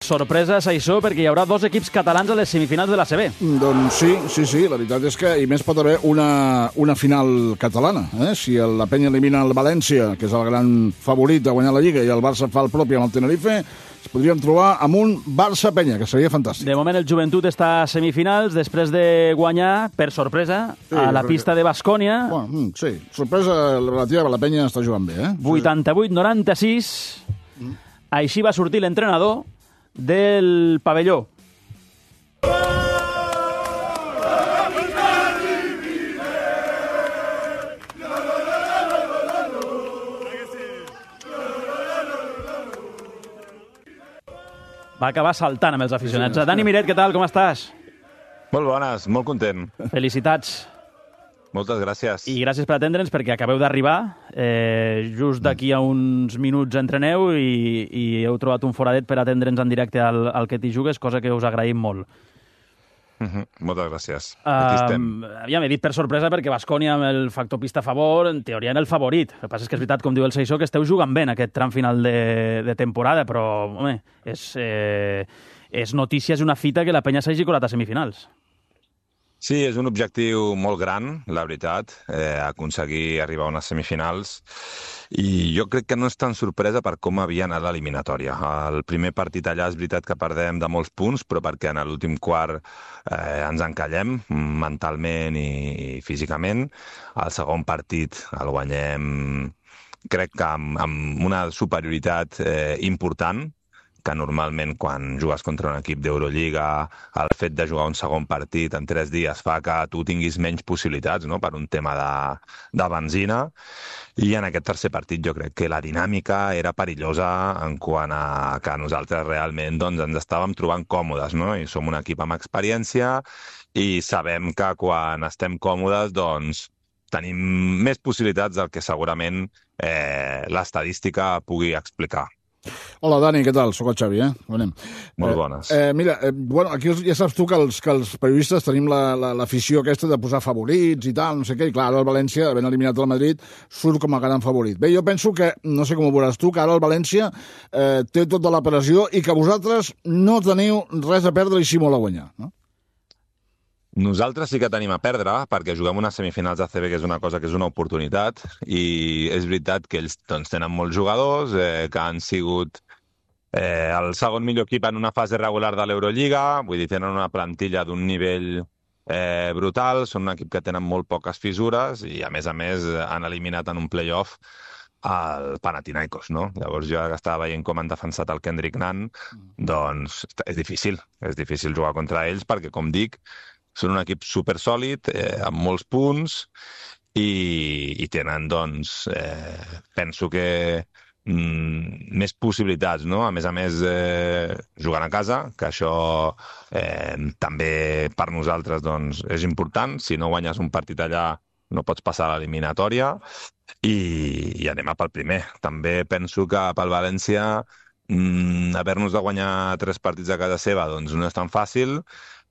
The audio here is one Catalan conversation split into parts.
Sorpresa, Saissó, perquè hi haurà 2 equips catalans a les semifinals de l'ACB. Doncs sí, la veritat és que i més pot haver una final catalana. Si la Penya elimina el València, que és el gran favorit a guanyar la Lliga, i el Barça fa el propi amb el Tenerife, es podríem trobar amb un Barça-Penya, que seria fantàstic. De moment el Joventut està a semifinals, després de guanyar, per sorpresa, a la pista de Baskònia. Bueno, sí, sorpresa relativa, la Penya està jugant bé. 88-96. Així va sortir l'entrenador del pavelló. Va acabar saltant amb els aficionats. Dani Miret, què tal? Com estàs? Molt bones, molt content. Felicitats. Moltes gràcies. I gràcies per atendre'ns, perquè acabeu d'arribar. Just d'aquí a uns minuts entreneu i heu trobat un foradet per atendre'ns en directe al que t'hi jugues, cosa que us agraïm molt. Moltes gràcies. Aquí estem. Ja m'he dit per sorpresa perquè Baskònia amb el factor pista a favor, en teoria era el favorit. El que passa és que és veritat, com diu el Saissó, que esteu jugant bé en aquest tram final de temporada, però, home, és notícia, és una fita que la Penya s'hagi colat a semifinals. Sí, és un objectiu molt gran, la veritat, aconseguir arribar a unes semifinals. I jo crec que no és tan sorpresa per com havia anat l'eliminatòria. El primer partit allà és veritat que perdem de molts punts, però perquè en l'últim quart ens encallem mentalment i físicament. El segon partit el guanyem, crec que amb una superioritat important, que normalment quan jugues contra un equip d'Eurolliga el fet de jugar un segon partit en 3 dies fa que tu tinguis menys possibilitats, no?, per un tema de benzina. I en aquest tercer partit jo crec que la dinàmica era perillosa en quant a que nosaltres realment ens estàvem trobant còmodes, no? I som un equip amb experiència i sabem que quan estem còmodes tenim més possibilitats del que segurament l'estadística pugui explicar. Hola, Dani, què tal? Soc el Xavi, Bonem. Molt bones. Mira, aquí ja saps tu que els periodistes tenim l'afició aquesta de posar favorits i tal, no sé què, i clar, ara el València, havent eliminat el Madrid, surt com a gran favorit. Bé, jo penso que, no sé com ho veuràs tu, que ara el València té tota la pressió i que vosaltres no teniu res a perdre i sí molt a guanyar, no? Nosaltres sí que tenim a perdre, perquè juguem unes semifinals d'ACB, que és una cosa que és una oportunitat, i és veritat que ells tenen molts jugadors, que han sigut el segon millor equip en una fase regular de l'Eurolliga, vull dir, tenen una plantilla d'un nivell brutal, són un equip que tenen molt poques fissures i, a més, han eliminat en un play-off el Panathinaikos, no? Llavors jo que estava veient com han defensat el Kendrick Nunn, doncs és difícil jugar contra ells perquè, com dic, són un equip supersòlid, amb molts punts, i tenen, doncs, penso que més possibilitats, no? A més, jugant a casa, que això també per nosaltres doncs, és important. Si no guanyes un partit allà, no pots passar a l'eliminatòria, i anem a pel primer. També penso que pel València haver-nos de guanyar 3 partits a casa seva doncs no és tan fàcil,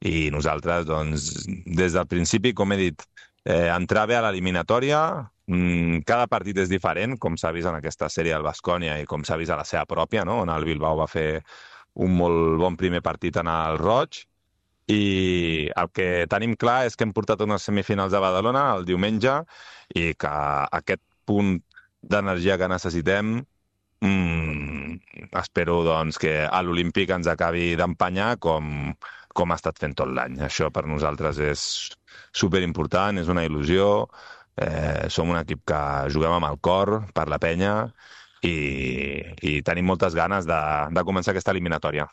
i nosaltres, doncs, des del principi, com he dit, entrar bé a l'eliminatòria. Cada partit és diferent, com s'ha vist en aquesta sèrie del Baskònia i com s'ha vist a la seva pròpia, no?, on el Bilbao va fer un molt bon primer partit en el Roig. I el que tenim clar és que hem portat unes semifinals a Badalona el diumenge i que aquest punt d'energia que necessitem espero, doncs, que a l'Olímpic ens acabi d'empanyar com ha estat fent tot l'any. Això per nosaltres és superimportant, és una il·lusió. Som un equip que juguem amb el cor per la Penya i tenim moltes ganes de començar aquesta eliminatòria.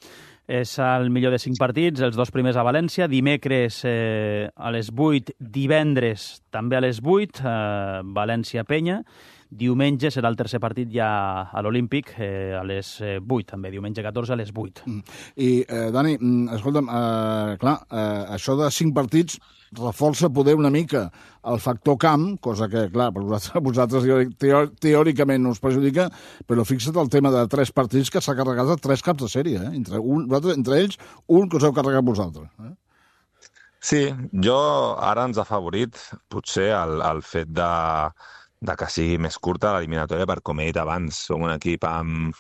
És el millor de 5 partits, els 2 primers a València, dimecres a les 8, divendres també a les 8, València-Penya. Diumenge serà el tercer partit ja a l'Olímpic, a les 8, també, diumenge 14 a les 8. I, Dani, escolta'm, clar, això de 5 partits reforça poder una mica el factor camp, cosa que, clar, per vosaltres teòricament us perjudica, però fixa't el tema de 3 partits que s'ha carregat de 3 caps de sèrie, entre ells, un que us heu carregat vosaltres. Sí, jo ara ens ha favorit potser el fet de que sigui més curta l'eliminatòria, per com he dit abans, som un equip amb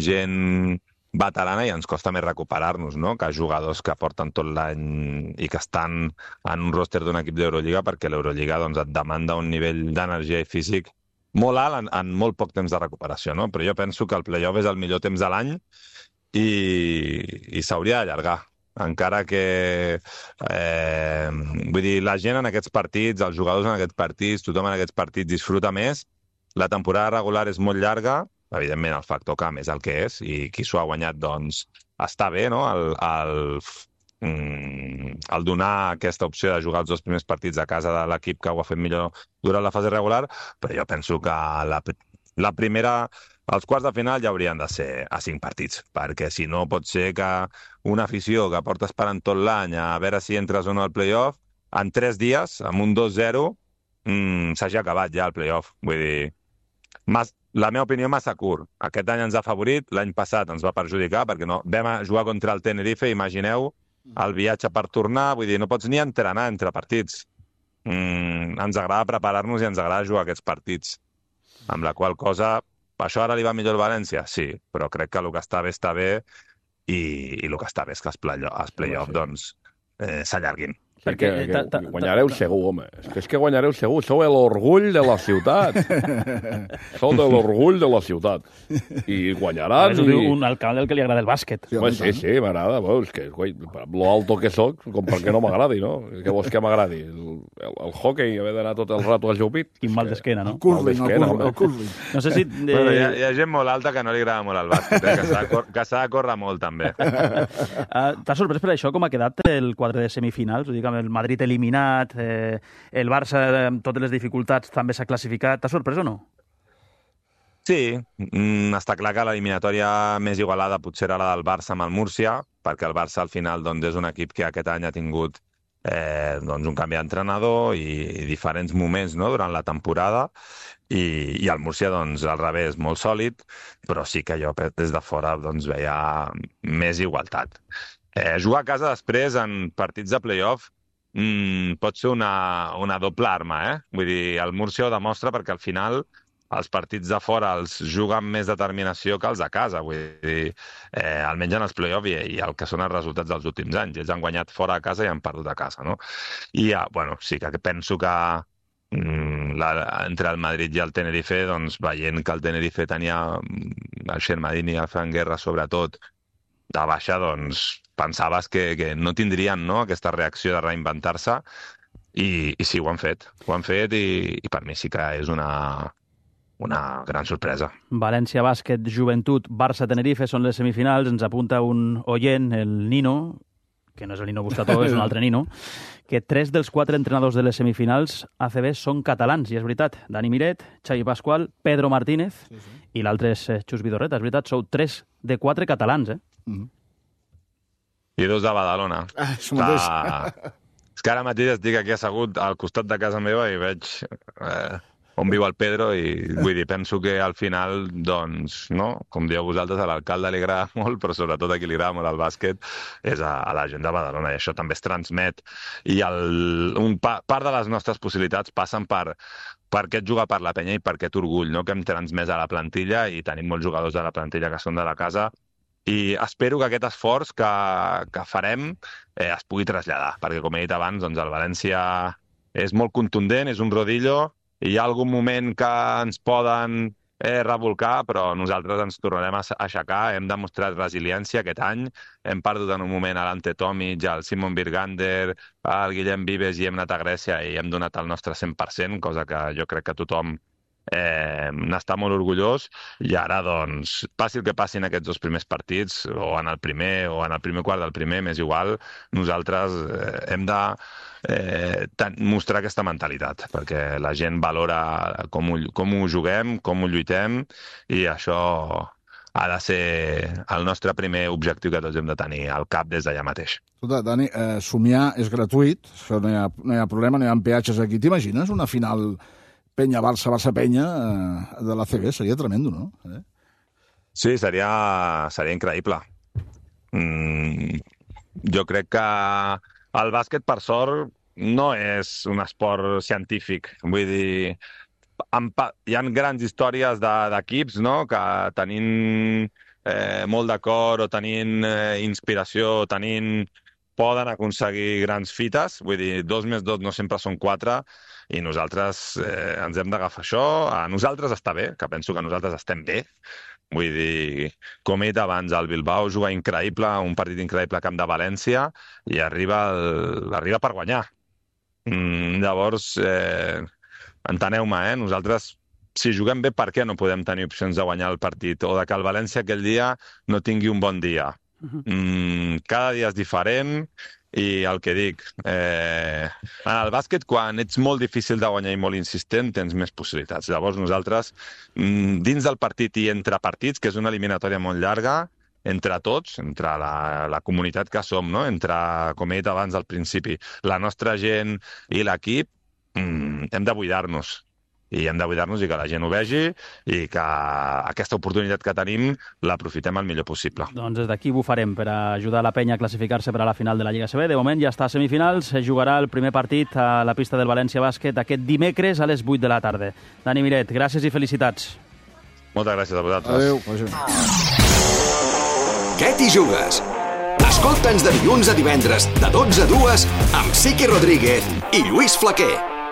gent veterana i ens costa més recuperar-nos, no?, que jugadors que porten tot l'any i que estan en un roster d'un equip d'Eurolliga, perquè l'Eurolliga doncs, et demanda un nivell d'energia i físic molt alt en molt poc temps de recuperació, no? Però jo penso que el play-off és el millor temps de l'any i s'hauria d'allargar. Encara que, vull dir, la gent en aquests partits, els jugadors en aquests partits, tothom en aquests partits disfruta més. La temporada regular és molt llarga, evidentment el factor camp és el que és, i qui s'ho ha guanyat, doncs, està bé, no?, el donar aquesta opció de jugar els 2 primers partits a casa de l'equip que ho ha fet millor durant la fase regular, però jo penso que la primera... Els quarts de final ja haurien de ser a 5 partits, perquè si no pot ser que una afició que porta esperant tot l'any a veure si entres o no al play-off, en 3 dies, amb un 2-0, s'hagi acabat ja el play-off. Vull dir, la meva opinió massa curt. Aquest any ens ha favorit, l'any passat ens va perjudicar, perquè no vam jugar contra el Tenerife, imagineu, el viatge per tornar, vull dir, no pots ni entrenar entre partits. Ens agrada preparar-nos i ens agrada jugar aquests partits. Amb la qual cosa... Això ara li va millor al València? Sí, però crec que el que està bé i el que està bé és que els play-off doncs, s'allarguin. Perquè guanyareu segur, home. És que guanyareu segur. Sou l'orgull de la ciutat. Sou de l'orgull de la ciutat. I guanyaran. Ho diu un alcalde al que li agrada el bàsquet. Sí, m'agrada. És que, lo alto que soc, com perquè no m'agradi, no? Què vols que m'agradi? El hockey, haver d'anar tot el rato al Jupit. Quin mal d'esquena, no? El curling. No sé si... Bueno, hi ha gent molt alta que no li agrada molt el bàsquet, que s'ha de córrer molt, també. T'ha sorprès per això com ha quedat el quadre de semifinals? Ho dic, amb el Madrid eliminat, el Barça amb totes les dificultats també s'ha classificat. T'ha sorprès o no? Sí, està clar que l'eliminatòria més igualada potser era la del Barça amb el Múrcia, perquè el Barça al final doncs, és un equip que aquest any ha tingut doncs, un canvi d'entrenador i diferents moments, no?, durant la temporada, i el Múrcia, doncs, al revés, molt sòlid, però sí que jo des de fora doncs, veia més igualtat. Jugar a casa després en partits de play-off pot ser una doble arma, Vull dir, el Múrcia ho demostra perquè al final els partits de fora els juguen més determinació que els de casa, vull dir, almenys en els play-off i el que són els resultats dels últims anys. Ells han guanyat fora de casa i han perdut a casa, no? I, bueno, sí que penso que entre el Madrid i el Tenerife, doncs, veient que el Tenerife tenia el Shermadini i el Fran Guerra, sobretot, de baixa, doncs, pensaves que no tindrien, no?, aquesta reacció de reinventar-se, i sí, ho han fet i per mi sí que és una gran sorpresa. València Bàsquet, Joventut, Barça-Tenerife són les semifinals. Ens apunta un oient, el Nino, que no és el Nino Buscató, és un altre Nino, que 3 dels 4 entrenadors de les semifinals ACB són catalans, i és veritat. Dani Miret, Xavi Pasqual, Pedro Martínez, i l'altre és Xus Vidorreta. És veritat, sou 3 de 4 catalans, I 2 de Badalona. És que ara mateix estic aquí assegut al costat de casa meva i veig on viu el Pedro i vull dir, penso que al final, doncs, no? Com dieu vosaltres, a l'alcalde li agrada molt, però sobretot a qui li agrada molt el bàsquet és a la gent de Badalona, i això també es transmet. I part de les nostres possibilitats passen per aquest jugar per la penya i per aquest orgull, no?, que hem transmès a la plantilla, i tenim molts jugadors de la plantilla que són de la casa, i espero que aquest esforç que farem es pugui traslladar, perquè, com he dit abans, doncs, el València és molt contundent, és un rodillo, i hi ha algun moment que ens poden revolcar, però nosaltres ens tornarem a aixecar. Hem demostrat resiliència aquest any, hem perdut en un moment a l'Ante Tomic, al Simon Birgander, al Guillem Vives, i hem anat a Grècia i hem donat el nostre 100%, cosa que jo crec que tothom n'està molt orgullós, i ara, doncs, passi el que passi en aquests 2 primers partits, o en el primer quart del primer, m'és igual, nosaltres hem de mostrar aquesta mentalitat, perquè la gent valora com ho juguem, com ho lluitem, i això ha de ser el nostre primer objectiu que tots hem de tenir al cap des d'allà mateix. Escolta, Dani, somiar és gratuït, això no hi ha problema, no hi ha peatges aquí. T'imagines una final Penya-Barça, Barça-Penya de l'ACB? Seria tremendo, no? Sí, seria increïble. Jo crec que el bàsquet, per sort, no és un esport científic. Vull dir, hi ha grans històries d'equips, no?, que tenint molt d'acord o tenint inspiració, poden aconseguir grans fites. Vull dir, 2 més 2 no sempre són 4 i nosaltres ens hem d'agafar això. A nosaltres està bé, que penso que nosaltres estem bé. Vull dir, com he dit abans, el Bilbao juga increïble, un partit increïble al camp de València i arriba per guanyar. Llavors, enteneu-me, nosaltres, si juguem bé, per què no podem tenir opcions de guanyar el partit? O de que el València aquell dia no tingui un bon dia. Cada dia és diferent i el que dic, en el bàsquet, quan ets molt difícil de guanyar i molt insistent, tens més possibilitats. Llavors nosaltres, dins del partit i entre partits, que és una eliminatòria molt llarga, entre tots, entre la comunitat que som, no? Entre, com he dit abans al principi, la nostra gent i l'equip, hem de buidar-nos. I hem de buidar-nos i que la gent ho vegi i que aquesta oportunitat que tenim l'aprofitem el millor possible. Doncs des d'aquí bufarem per ajudar la penya a classificar-se per a la final de la Lliga CB. De moment ja està a semifinals, es jugarà el primer partit a la pista del València Bàsquet aquest dimecres a les 8 de la tarda. Dani Miret, gràcies i felicitats. Moltes gràcies a vosaltres. Adéu. Què t'hi jugues? Escolta'ns de dilluns a divendres de 12 a 2 amb Siqui Rodríguez i Lluís Flaquer.